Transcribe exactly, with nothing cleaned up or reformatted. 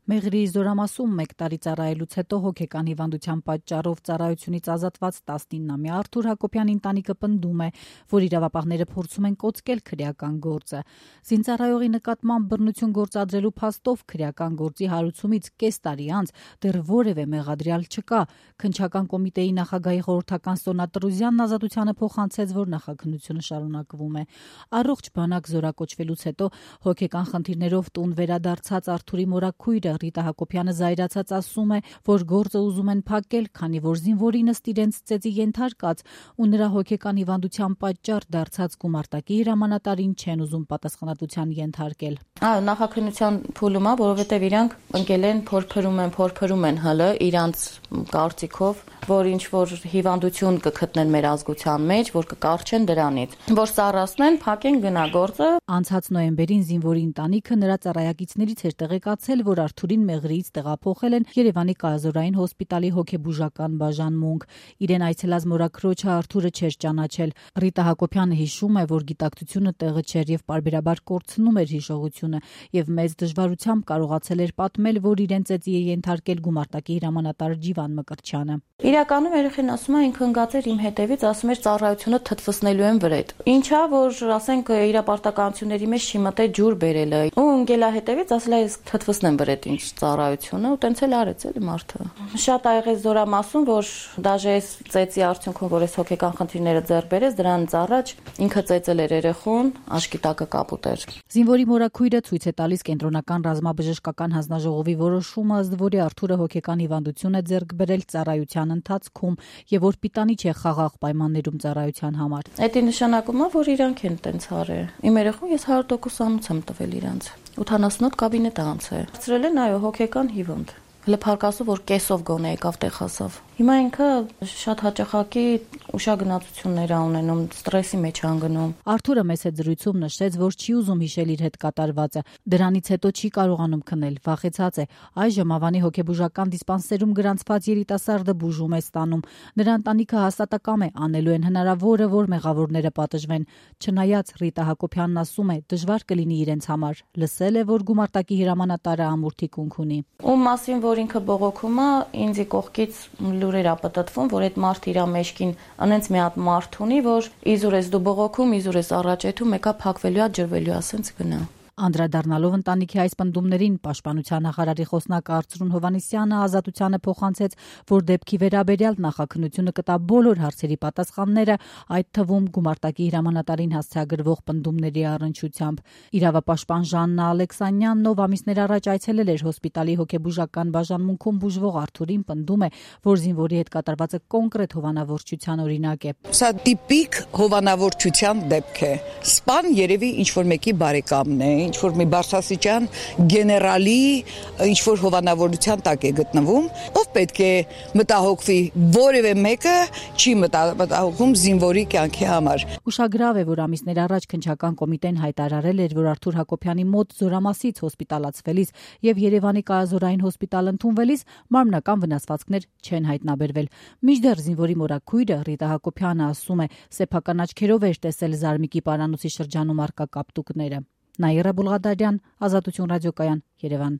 Մեղրի զորամասում մեկ տարի ծառայելուց հետո հոգեկան հիվանդության պատճառով ծառայությունից ազատված տասնինամյա Արթուր Հակոբյանի ընտանիքը պնդում է, որ իրավապահները փորձում են կոծկել քրեական գործը։ Զինծառայողի նկատմամբ բռնություն գործադրելու փաստով քրեական գործի հարուցումից կես տարի անց դեռ որևէ մեղադրյալ չկա։ Քննչական կոմիտեի նախագահի խորհրդական Սոնա Տրուզյանն Ազատությանը փոխանցեց, որ նախաքննությունը շարունակվում է։ Առողջ բանակ զորակոչվելուց հետո հոգեկան խնդիրներով տուն վերադարձած Արթուրի մորաքույրը Ռիտա Հակոբյանը զայրացած ասում է, որ գործը ուզում են փակել, քանի որ զինվորին ըստ իրենց ծեծի ենթարկած ու նրա հոգեկան հիվանդության պատճառ դարձած գումարտակի հրամանատարին չեն ուզում պատասխանատվության ենթարկել։ Այո, նախաքննության փուլում է, որովհետև իրանք ընկել են, փորփրում են, փորփրում են հլը իրանց կարծիքով, որ ինչ որ հիվանդություն կգտնեն մեր ազգության մեջ, որ կկարչեն դրանից, որ սառացնեն, փակեն գնա գործը։ Անցած նոյեմբերին զինվորի ընտանիքը նրա ծառայակիցներից էր տեղեկացել, որ Արթուրին Մեղրիից տեղափոխել են Երևանի կազորային հոսպիտալի հոգեբուժական բաժանմունք։ Իրեն այցելած մորաքրոջը Արթուրը չէր ճանաչել։ Ռիտա Հակոբյանը հիշում է, որ գիտակցությունը տեղը չէր եւ պարբերաբար կորցնում էր հիշողությունը եւ մեծ դժվարությամբ կարողացել էր պատմել, որ իրեն ծեծի է ենթարկել գումարտակի հրամանատար Ջիվան Մկրտչյանը։ Իրականում երեխեն ասում է, ինքը ընկած էր իմ հետևից, ասում էր ծառայությունը թթվսնելու են վրետ։ Ինչա, որ ասենք իր պարտականությունների մեջ չի մտե ջուր բերելը։ Ու ընկելա հետևից ասել է թթվսնեմ վրետ ինչ ծառայությունը, ու տենց էլ արեց էլի մարդը։ Շատ ա եղել զորամասում, որ դաժե այս ծեծի արդյունքում, որ այս հոգեկան խնդիրները ձեռք բերեց, դրանից առաջ ինքը ծեծել էր երեխուն, աշկի տակը կապուտ էր։ Զինվորի մորաքույրը ցույց է տալիս կենտրոնական ռազմաբժշկական հանձնաժողովի որոշումը, ըստ որի Արթուրը հոգեկան հիվանդություն է ձեռք բերել ծառայության ընթացքում եւ որ պիտանի չէ խաղաղ պայմաններում ծառայության համար։ Դա նշանակում է, որ իրանք են տենց արել։ Իմ երեխուն ես հարյուր տոկոս անուց եմ տվել իրանց։ ութանասունութ կաբինետ անցել։ Ծրել են այո հոգեկան հիվանդ։ Հələ փարկասու որ կեսով գոնե եկավ տեղ հասավ։ Հիմա ինքը շատ հաճախակի ուշագնացություններ ա ունենում, ստրեսի մեջ անգնում։ Արթուրը մեծ զրույցում նշեց, որ չի ուզում հիշել իր հետ կատարվածը։ Դրանից հետո չի կարողանում քնել, վախեցած է։ Այժմ Ավանի հոգեբուժական դիսպանսերում գրանցված երիտասարդը բուժում է ստանում։ Նրա ընտանիքը հաստատակամ է, անելու են հնարավորը, որ մեղավորները պատժվեն։ Չնայած Ռիտա Հակոբյանն ասում է, դժվար կլինի իրենց համար։ Լսել է, որ գումարտակի հրամանատարը ամուրթի կունք ունի։ Ում մասին որ ինքը բողոքում է, ինձի կողքից լուրեր ա պատտվում, որ այդ մարդ իր մեջքին անենց մի հատ մարդ ունի, որ իզուր ես դու բողոքում, իզուր ես առաջեթում, եկա փակվելու է, ջրվելու է, ասենց գնա։ Անդրադառնալով ընտանիքի այս պնդումներին Պաշտպանության նախարարի խոսնակ Արծրուն Հովհաննիսյանը Ազատությանը փոխանցեց, որ դեպքի վերաբերյալ նախաքննությունը կտա բոլոր հարցերի պատասխանները, այդ թվում գումարտակի հրամանատարին հասցեագրվող պնդումների առնչությամբ։ Իրավապաշտպան Ժաննա Ալեքսանյանն, ով ամիսներ առաջ այցելել էր հոսպիտալի հոգեբուժական բաժանմունքում բուժվող Արթուրին, պնդում է, որ զինվորի հետ կատարվածը կոնկրետ հովանավորչության օրինակ է։ Սա տիպիկ հովանավորչության դեպք է։ Սպան երևի ինչ որ մեկի բարեկամն է, ինչ որ մի բարձրաստիճան գեներալի ինչ որ հովանավորության տակ է գտնվում, ով պետք է մտահոգվի, որևէ մեկը չի մտահոգվում զինվորի կյանքի համար։ Ուշագրավ է, որ ամիսներ առաջ քննչական կոմիտեն հայտարարել էր, որ Արթուր Հակոբյանի մոտ զորամասից հոսպիտալացվելիս եւ Երևանի կազորային հոսպիտալ ընդունվելիս մարմնական վնասվածքներ չեն հայտնաբերվել։ Մինչդեռ զինվորի մորաքույրը Ռիտա Հակոբյանը ասում է, սեփական աչքերով էր տեսել Զարմիկի պարանոցի շրջանում արկա կապտուկները։ Նաիրա Բուլղադարյան, Ազատություն ռադիոկայան, Երևան։